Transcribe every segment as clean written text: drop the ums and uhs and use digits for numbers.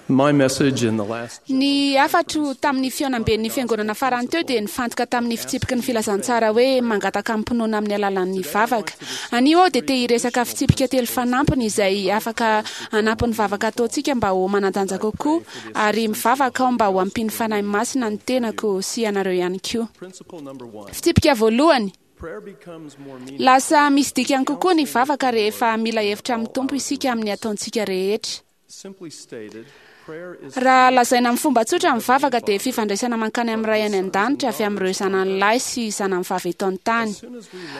My message in the last Ny hafatro tamin'ny fihaonamben'ny fiangonana farany teo dia nifantoka tamin'ny fitsipiky ny filazantsara hoe mangataka amim-pinoana amin'ny alalan'ny vavaka. Anio aho dia te hiresaka fitsipika telo fanampiny izay afaka hanampy ny vavaka ataontsika mba ho manan-danja kokoa, ary mivavaka aho mba ho ampian'ny Fanahy Masina ny tenako sy ianareo ihany koa. principle number one. Fitsipika voalohany, Prayer becomes more meaningful. lasa misy dikany kokoa ny vavaka rehefa mila hevitra amin'ny Tompo isika amin'ny ataontsika rehetra. Simply stated, prayer is Raha lazaina amin'ny fomba tsotra ny vavaka dia fifandraisana mankany amin'ny Ray any an-danitra avy amin'ireo zanany lahy sy zanany vavy eto an-tany.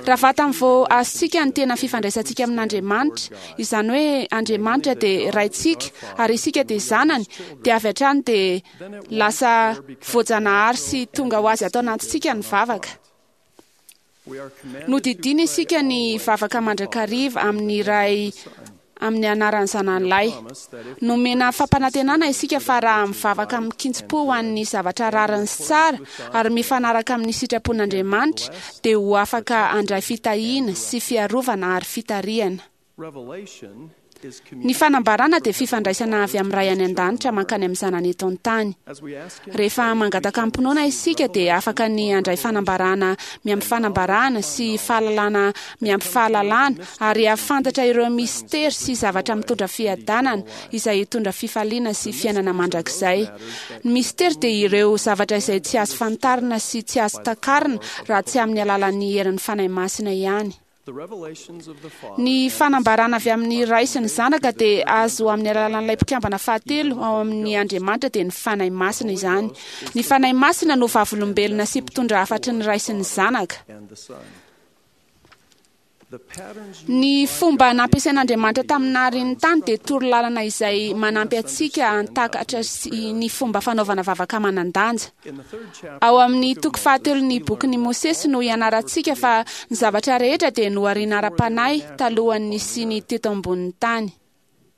Raha vatany vao azontsika ny tena fifandraisantsika amin'Andriamanitra, izany hoe Andriamanitra dia Raintsika ary isika dia zanany, dia avy hatrany dia lasa voajanahary sy tonga ho azy ato anatintsika ny vavaka. we are commanded Nodidiana isika ny vavaka mandrakariva amin'ny Ray amin'ny anaran'ny zanany lahy. Nomena fampanantenana isika fa raha mivavaka amin-kitsim-po ho an'ny zavatra rariny sy tsara ary mifanaraka amin'ny sitrapon'Andriamanitra dia ho afaka handray fitahiana sy fiarovana ary fitarihana. Revelation is Ny fanambarana dia fifandraisana avy amin'ny Ray any an-danitra mankany amin'ny zanany eto an-tany. As we ask him Rehefa mangataka amim-pinoana isika dia afaka ny handray fanambarana miampy fanambarana sy fahalalana miampy fahalalana ary hahafantatra ireo mistery sy zavatra mitondra fiadanana izay hitondra fifaliana sy fiainana mandrakizay. Ny mistery dia ireo zavatra izay tsy azo fantarina sy tsy azo takarina raha tsy amin'ny alalan'ny herin'ny Fanahy Masina ihany. the revelations of the Father Ny fanambarana avy amin'ny Ray sy ny Zanaka dia azo amin'ny alalan'ilay mpikambana fahatelo ao amin'ny Andriamanitra dia ny Fanahy Masina izany. Ny Fanahy Masina no vavolombelona sy mpitondra hafatry ny Ray sy ny Zanaka. and the Son. The patterns Ny fomba nampiasain'Andriamanitra tamin'ny naharian'ny tany dia torolalana izay manampy antsika hantakatra sy ny fomba fanaovana vavaka manan-danja. in the third chapter Ao amin'ny toko fahatelon'ny bokin'i Mosesy no ianarantsika fa ny zavatra rehetra dia nohariana ara-panahy talohan'ny nisiany teto ambonin'ny tany.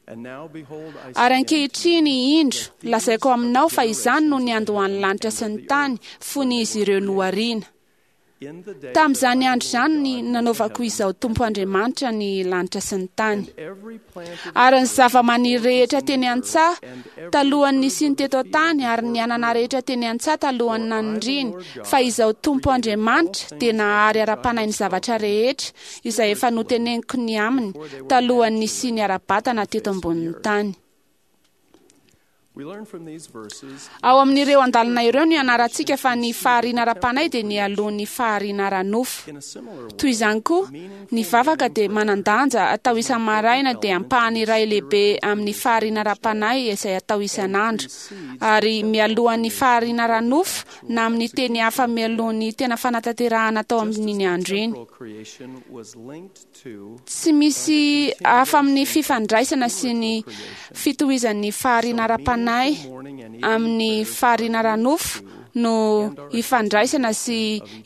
and now behold I Ary say unto you, ankehitriny indro, lazaiko aminao fa izany no niandohan'ny lanitra sy ny tany fony izy ireo nohariana. in the day Tamin'izany andro izany ny nanaovako izao Tompo Andriamanitra ny lanitra sy ny tany. every plant of Ary ny zava-maniry rehetra teny an-tsaha talohan'ny nisiany teto an-tany ary ny anana rehetra teny an-tsaha talohan'ny nanindriny fa izao Tompo Andriamanitra dia nahary ara-panahy ny zavatra rehetra izay efa noteneniko ny aminy talohan'ny nisiany ara-batana teto ambonin'ny tany. we learn from these verses Ao amin'ireo andalana ireo no ianarantsika fa ny fahariana ara-panahy dia nialoha ny fahariana ara-nofo. in a similar way Toy izany koa, ny vavaka dia manan-danja atao isa-maraina dia ampahany iray lehibe amin'ny fahariana ara-panahy izay atao isan'andro. Ary mialohan'ny fahariana ara-nofo na amin'ny teny hafa mialohan'ny tena fanatanterahana atao amin'iny andro iny. temporal creation was linked to Tsy misy hafa amin'ny fifandraisana sy ny fitohizan'ny fahariana ara-panahy morning and evening amin'ny fahariana ara-nofo no ifandraisana sy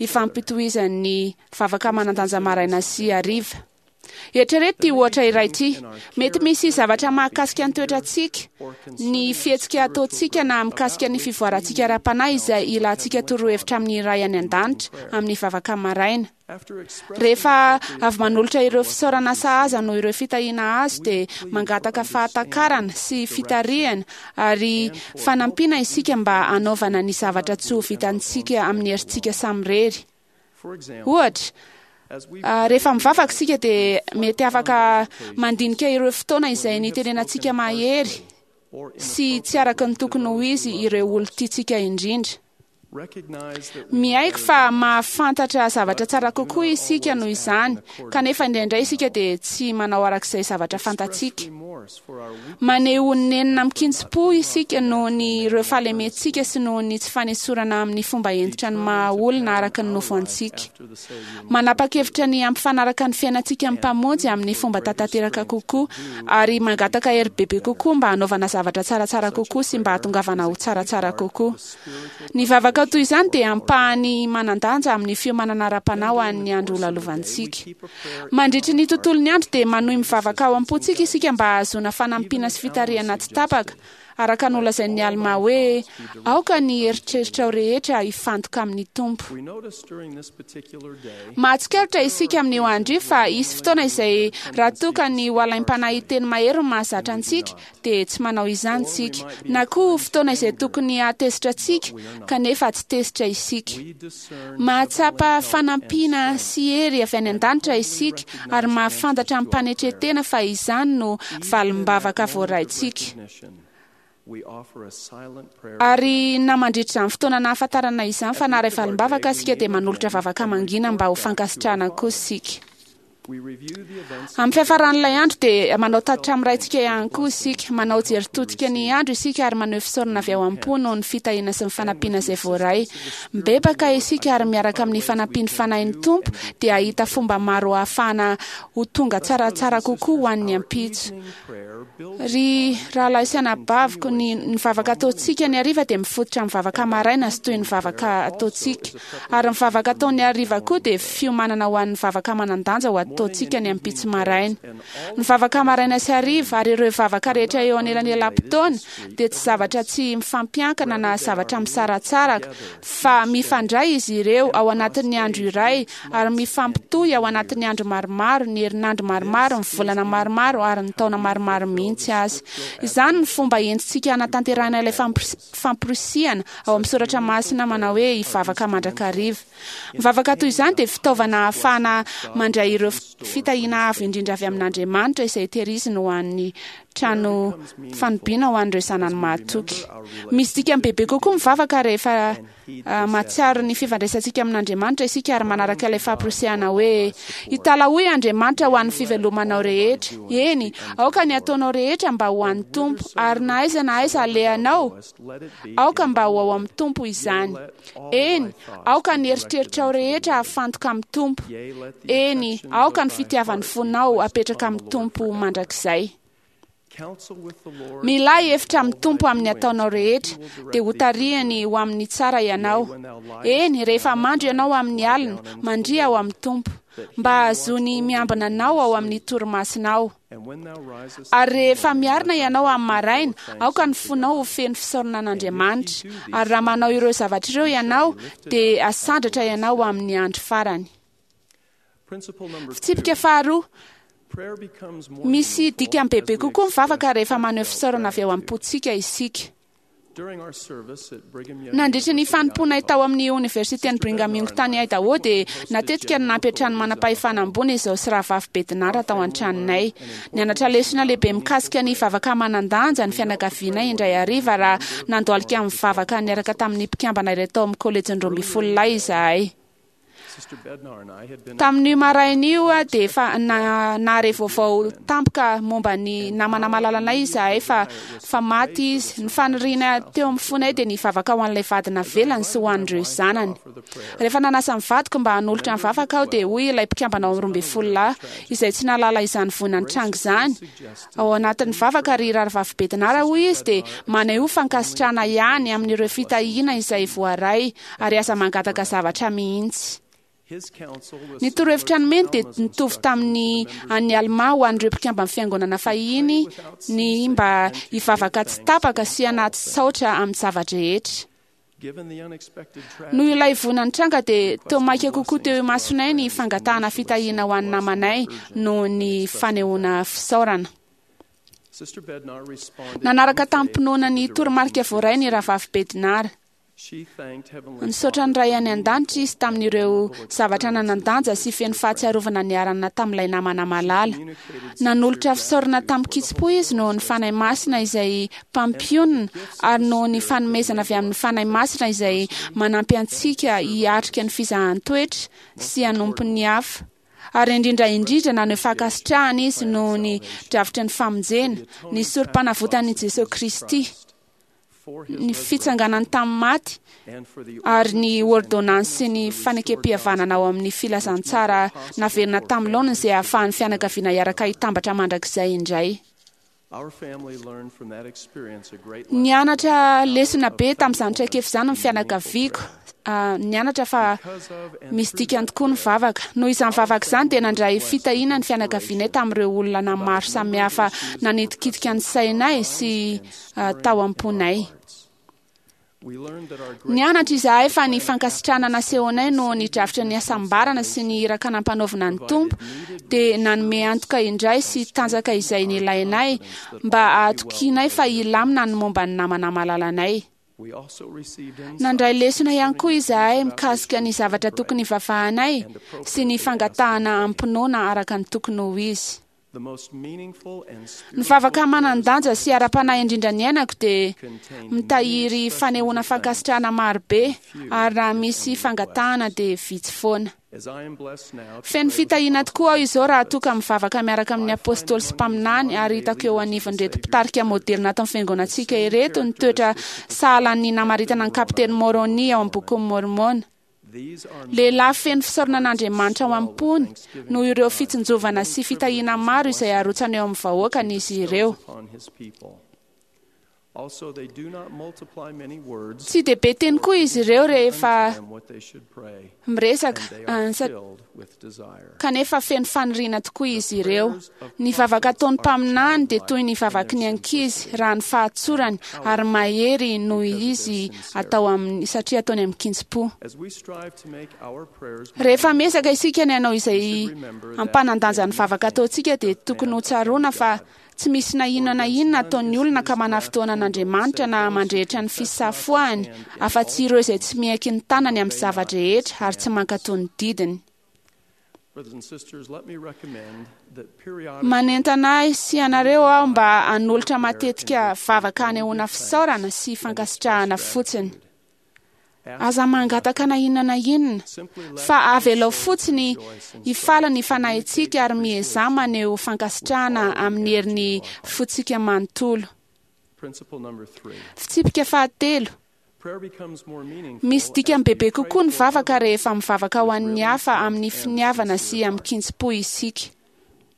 ifampitohizan'ny vavaka manan-danja maraina sy hariva. Eritrereto ity ohatra iray ity. Mety misy zavatra mahakasika ny toetrantsika, ny fihetsika ataontsika na mikasika ny fivoarantsika ara-panahy izay ilantsika torohevitra amin'ny Ray any an-danitra amin'ny vavaka maraina. after expressing Rehefa avy manolotra ireo fisaorana sahaza noho ireo fitahiana azo dia mangataka fahatakarana sy fitarihana ary fanampiana isika mba hanaovana ny zavatra tsy ho vitantsika amin'ny herintsika samirery. for example Ohatra, as we rehefa mivavaka isika dia mety afaka mandinika ireo fotoana izay nitenenantsika mahery or sy tsy araka ny tokony ho izy ireo olon-tiantsika indrindra. recognize that we Miaiky fa mahafantatra zavatra tsara kokoa isika noho izany, kanefa indraindray isika dia tsy manao arak'izay zavatra fantatsika. remorse for our weak Maneho nenina amin-kitsim-po isika noho ny ireo fahalementsika sy noho ny tsy fanesorana amin'ny fomba hentitra ny maha olona araka ny nofo antsika. after the Savior Manapa-kevitra ny hampifanaraka ny fiainantsika amin'ny Mpamonjy amin'ny fomba tanteraka kokoa ary mangataka hery bebe kokoa mba hanaovana zavatra tsaratsara kokoa sy mba hahatongavana ho tsaratsara kokoa. Ny vavaka vavaka toy izany dia ampahany manan-danja amin'ny fiomanana ara-panahy ho an'ny andro holalovantsika. Mandritry ny tontolon'ny andro dia manohy mivavaka ao am-pontsika isika mba hahazoana fanampiana sy fitarihana tsy tapaka, araka ny nolazain'i Almà hoe, Aoka ny eritreritrao rehetra hifantoka amin'ny Tompo. Mahatsikaritra isika amin'io andro io fa hisy fotoana izay raha toa ka ny ho alaim-panahy hiteny mahery no mahazatra antsika, dia tsy manao izany isika, na koa fotoana izay tokony hahatezitra antsika kanefa tsy tezitra isika. Mahatsapa fanampiana sy hery avy any an-danitra isika ary mahafantatra amim-panetren-tena fa izany no valim-bavaka voaraintsika. Ary na mandritra izany fotoana nahafantarana izany fa naharay valim-bavaka isika dia manolotra vavaka mangina mba ho fankasitrahana koa isika. Amin'ny fiafaran'ilay andro dia manao tatitra amin'ny Raintsika ihany koa isika. Manao jery todika ny andro isika ary maneho fisaorana avy ao am-po noho ny fitahiana sy ny fanampiana izay voaray. Mibebaka isika ary miaraka amin'ny fanampian'ny Fanahin'ny Tompo dia hahita fomba maro hahafahana ho tonga tsaratsara kokoa ho an'ny ampitso. Ry rahalahy sy anabaviko, ny ny vavaka ataontsika ny hariva dia mifototra amin'ny vavaka maraina sy toy ny vavaka ataontsika. Ary ny vavaka atao ny hariva koa dia fiomanana ho an'ny vavaka manan-danja ho ataontsika ny ampitso maraina. Ny vavaka maraina sy hariva ary ireo vavaka rehetra eo anelanelam-potoana dia tsy zavatra tsy mifampiankina na zavatra misaratsaraka, fa mifandray izy ireo ao anatin'ny andro iray ary mifampitohy ao anatin'ny andro maromaro, ny herinandro maromaro, ny volana maromaro ary ny taona maromaro mihitsy aza. Izany no fomba entintsika hanatanterahina ilay famporisihana ao amin'ny soratra masina manao hoe hivavaka mandrakariva. Ny vavaka toy izany dia fitaovana ahafahana mandray ireo fitahiana avo indrindra avy amin'Andriamanitra izay tehiriziny ho an'ny trano fanobiana ho an'ireo zanany mahatoky. Misy dikany bebe kokoa mivavaka rehefa mahatsiaro ny fifandraisantsika amin'Andriamanitra isika ary manaraka ilay famporisihana hoe, Italahoy Andriamanitra ho an'ny fivelomanao rehetra. Eny, aoka ny ataonao rehetra mba ho an'ny Tompo, ary na aiza na aiza alehanao, aoka mba ho ao amin'ny Tompo izany. Eny, aoka ny eritreritrao rehetra hafantoka amin'ny Tompo. Eny, aoka ny fitiavan'ny fonao hapetraka amin'ny Tompo mandrakizay. Milà hevitra amin'ny Tompo amin'ny ataonao rehetra, dia hotarihany ho amin'ny tsara ianao. Eny, rehefa mandry ianao amin'ny alina, mandria ao amin'ny Tompo, mba hahazoany miambina anao ao amin'ny torimasonao. Ary rehefa miarina ianao amin'ny maraina, aoka ny fonao ho feno fisaorana an'Andriamanitra. Ary raha manao ireo zavatra ireo ianao, dia hasandratra ianao amin'ny andro farany. Fitsipika faharoa, Misy dikany bebe kokoa ny vavaka rehefa maneho fisaorana avy ao am-pontsika isika. Nandritra ny fanompoanay tao amin'ny Oniversiten'i Brigham Young tany Idaho dia natetika no nampiantrano manam-pahefana ambony izao sy rahavavy Bednar tao an-tranonay. Nianatra lesona lehibe mikasika ny vavaka manan-danja ny fianakavianay indray hariva raha nandohalika nivavaka niaraka tamin'ny mpikambana iray tao amin'ny Kolejin'ny Roambinifololahy izahay. Tamin'io maraina io dia efa nahare vaovao tampoka momba ny namana malalanay izahay fa fa maty izy. Ny faniriana teo amin'ny fonay dia ny hivavaka ho an'ilay vady navelany sy ho an'ireo zanany. Rehefa nanasa ny vadiko mba hanolotra ny vavaka aho dia hoy ilay mpikambana ao amin'ny Roambinifololahy, izay tsy nahalala izany voina nitranga izany, Ao anatin'ny vavaka ry Rahavavy Bednar, hoy izy, dia manehoa fankasitrahana ihany amin'ireo fitahiana izay voaray ary aza mangataka zavatra mihitsy. Ny torohevitra nomeny dia nitovy tamin'ny an'i Almà ho an'ireo mpikamban'ny Fiangonana fahiny ny mba hivavaka tsy tapaka sy anaty saotra amin'ny zava-drehetra. Noho ilay voina nitranga dia toa maika kokoa teo imasonay ny fangatahana fitahiana ho an'ny namanay noho ny fanehoana fisaorana. Nanaraka tamim-pinoana ny toromarika voaray ny Rahavavy Bednar. Nisaotra ny Ray any An-danitra izy tamin'ireo zavatra nanan-danja sy feno fahatsiarovana niarahana tamin'ilay namana malala. Nanolotra fisaorana tamin-kitsim-po izy noho ny Fanahy Masina izay mpampionona ary noho ny fanomezana avy amin'ny Fanahy Masina izay manampy antsika hiatrika ny fizahan-toetra sy hanompo ny hafa. Ary indrindra indrindra naneho fankasitrahana izy noho ny drafitry ny famonjena, ny Sorompanavotan'i Jesoa Kristy, ny fitsanganany tamin'ny maty, ary ny ôrdônansy sy ny fanekempihavanana ao amin'ny filazantsara naverina tamin'ny laoniny izay ahafahan'ny fianakaviana hiaraka hitambatra mandrakizay indray. Nianatra lesona be tamin'izany traikefa izany ny fianakaviako. Nianatra fa misy dikany tokoa ny vavaka. Noho izany vavaka izany dia nandray fitahiana ny fianakavianay tamin'ireo olona maro samihafa nanitikitika ny sainay sy tao am-ponay. Nianatra izahay fa ny fankasitrahana nasehonay noho ny drafitra ny hasambarana sy ny iraka nampanaovina ny Tompo dia nanome antoka indray sy tanjaka izay nilainay mba hahatokianay fa hilamina ny momba ny namana malalanay. Nandray lesona ihany koa izahay mikasika ny zavatra tokony hivavahanay sy ny fangatahana amim-pinoana araka ny tokony ho izy. Ny vavaka manan-danja sy ara-panahy indrindra niainako dia mitahiry fanehoana fankasitrahana marobe, ary raha misy fangatahana dia vitsy foana. Feno fitahiana tokoa aho izao raha toa ka mivavaka miaraka amin'ny apôstôly sy mpaminany, ary hitako eo anivon'ireto mpitarika môdelina ato amin'ny fiangonantsika ireto ny toetra sahalan'ny namaritana ny Kapiteny Môrônia ao amin'ny Bokin'i Môrmôna. Lehilahy feno fisaorana an'Andriamanitra ao am-pony noho ireo fitsinjovana sy fitahiana maro izay arotsany eo amin'ny vahoakany izy ireo. Tsy dia be teny koa izy ireo rehefa miresaka, kanefa feno faniriana tokoa izy ireo. Ny vavaka ataon'ny mpaminany dia toy ny vavaky ny ankizy raha ny fahatsorany, ary mahery noho izy atao amin'ny satria ataony amin-kitsim-po. Rehefa miezaka isika ny hanao izay hampanan-danja ny vavaka ataontsika dia tokony ho tsaroana fa tsy misy na inona na inona ataon'ny olona ka manafintohina an'Andriamanitra na mandrehitra ny fisafoahany afa-tsy ireo izay tsy miaiky ny tanany amin'ny zava-drehetra ary tsy mankatò ny didiny. Manentana ahy sy ianareo aho mba hanolotra matetika vavaka hanehoana fisaorana sy fankasitrahana fotsiny. Aza mangataka na inona na inona, fa avelao fotsiny hifaly ny fanahintsika ary miezaha maneho fankasitrahana amin'ny herin'ny fontsika manontolo. Fitsipika fahatelo. Misy dikany bebe kokoa ny vavaka rehefa mivavaka ho an'ny hafa amin'ny finiavana sy amin-kitsim-po isika.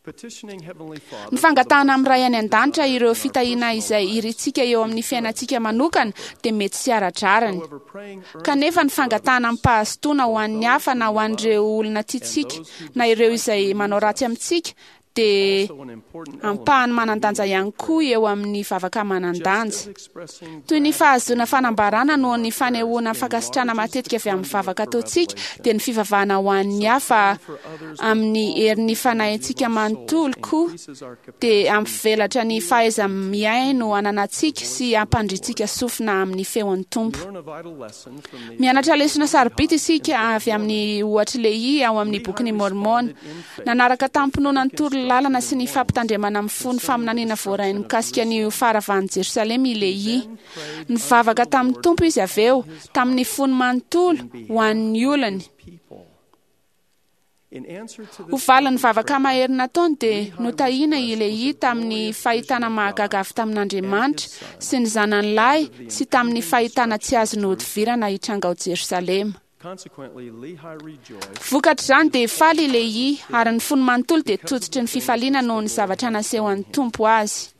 Ny fangatahana amin'ny Ray any An-danitra ireo fitahiana izay irintsika eo amin'ny fiainantsika manokana dia mety tsy ara-drariny. Kanefa ny fangatahana amim-pahazotoana ho an'ny hafa na ho an'ireo olona tiantsika na ireo izay manao ratsy amintsika dia ampahany manan-danja ihany koa eo amin'ny vavaka manan-danja. Toy ny fahazoana fanambarana noho ny fanehoana fankasitrahana matetika avy amin'ny vavaka ataontsika, dia ny fivavahana ho an'ny hafa amin'ny herin'ny fanahintsika manontolo koa dia hampivelatra ny fahaiza-mihaino ananantsika sy hampandrintsika sofina amin'ny feon'ny Tompo. Mianatra lesona sarobidy isika avy amin'ny ohatr'i Lehia ao amin'ny Bokin'i Môrmôna. Nanaraka tamim-pinoana ny torolalana sy ny fampitandremana mifono faminaniana voarainy mikasika ny faharavan'i Jerosalema i Lehia. Nivavaka tamin'ny Tompo izy avy eo, tamin'ny fony manontolo, ho an'ny olony. Ho valin'ny vavaka mahery nataony dia notahiana i Lehia tamin'ny fahitana mahagaga avy tamin'Andriamanitra sy ny zanany lahy sy tamin'ny fahitana tsy azo nohodivirana hitranga ao Jerosalema. Vokatr'izany dia faly i Lehia ary ny fony manontolo dia tototry ny fifaliana noho ny zavatra nasehon'ny Tompo azy.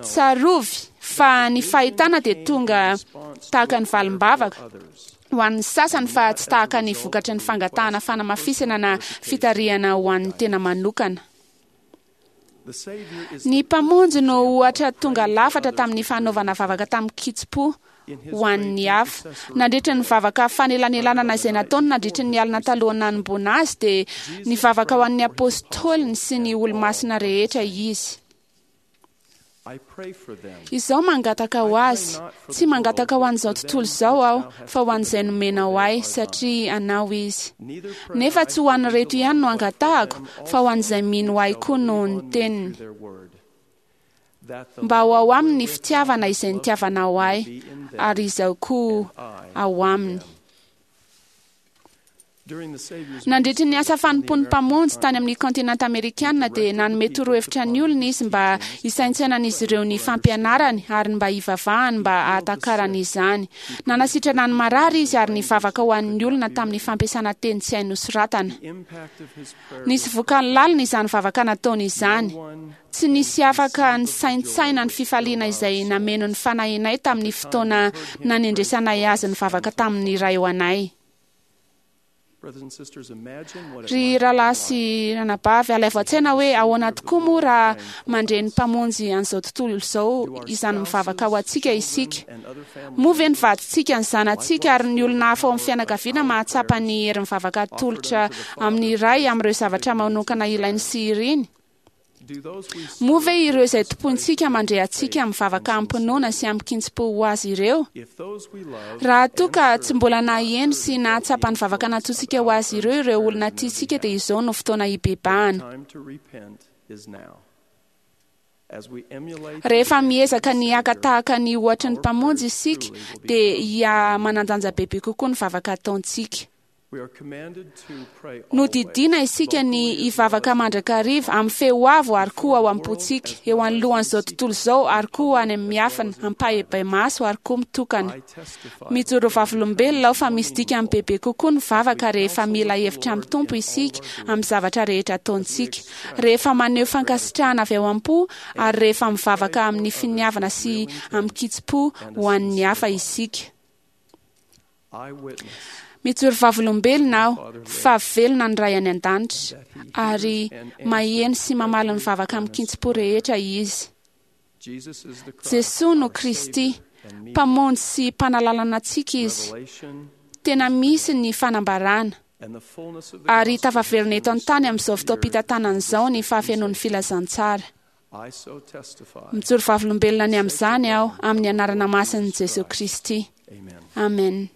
Tsarovy fa ny fahitana dia tonga tahaka ny valim-bavaka ho an'ny sasany fa tsy tahaka ny vokatry ny fangatahana fanamafisana na fitarihana ho an'ny tena manokana. Ny Mpamonjy no ohatra tonga lafatra tamin'ny fanaovana vavaka tamin-kitsim-po ho an'ny hafa. Nandritra ny vavaka fanelanelanana izay nataony nandritra ny alina talohan'ny nanomboana azy dia nivavaka ho an'ny apôstôliny sy ny olomasina rehetra izy. Izao mangataka ho azy, tsy mangataka ho an'izao tontolo izao aho, fa ho an'izay nomenao ahy, satria anao izy. Nefa tsy ho an'ireto ihany no angatahako, fa ho an'izay mino ahy koa noho ny teniny. Mba ho ao aminy ny fitiavana izay nitiavanao ahy, ary izaho koa ao aminy. Nandritry ny asa fanompoan'ny Mpamonjy tany amin'ny kontinanta amerikana dia nanome torohevitra ny olona izy mba hisaintsainan'izy ireo ny fampianarany ary mba hivavahany mba hahatakarany izany. Nanasitrana ny marary izy ary nivavaka ho an'ny olona tamin'ny fampiasana teny tsy hay nosoratana. Nisy vokany lalina izany vavaka nataony izany. Tsy nisy afaka nisaintsaina ny fifaliana izay nameno ny fanahinay tamin'ny fotoana nanendresanay azy nivavaka tamin'ny Ray ho anay. Ry rahalahy sy ranabavy, alaivo an-tsaina hoe ahoana tokoa moa raha mandre ny Mpamonjy an'izao tontolo izao izany mivavaka ho antsika isika. Moa ve ny vadintsika, ny zanatsika ary ny olona hafa ao amin'ny fianakaviana mahatsapa ny herin'ny vavaka atolotra amin'ny Ray amin'ireo zavatra manokana ilainy sy iriny? Moa ve ireo izay tompointsika mandre antsika mivavaka amim-pinoana sy amin-kitsim-po ho azy ireo? Raha toa ka tsy mbola naheno sy nahatsapa ny vavaka nataontsika ho azy ireo ireo olona tiantsika dia izao no fotoana hibebahana. Rehefa miezaka ny haka tahaka ny ohatry ny Mpamonjy isika dia hiha-manan-danja bebe kokoa ny vavaka ataontsika. Nodidiana isika ny hivavaka mandrakariva amin'ny feo avo ary koa ao am-pontsika, eo anoloan'izao tontolo izao ary koa any amin'ny miafina, ampahibemaso ary koa mitokana. Mijoro vavolombelona aho fa misy dikany bebe kokoa ny vavaka rehefa mila hevitra amin'ny Tompo isika amin'ny zavatra rehetra ataontsika, rehefa maneho fankasitrahana avy ao am-po ary rehefa mivavaka amin'ny finiavana sy amin-kitsim-po ho an'ny hafa isika. Mijoro vavolombelona aho fa velona ny Ray any An-danitra ary maheno sy mamaly ny vavaka amin-kitsim-po rehetra Izy. Jesoa no Kristy, Mpamonjy sy Mpanalalana antsika Izy. Tena misy ny fanambarana ary tafaverina eto an-tany amin'izao fotoam-pitantanana izao ny fahafenoan'ny filazantsara. Mijoro vavolombelona ny amin'izany aho amin'ny anarana masin'i Jesoa Kristy. Amen.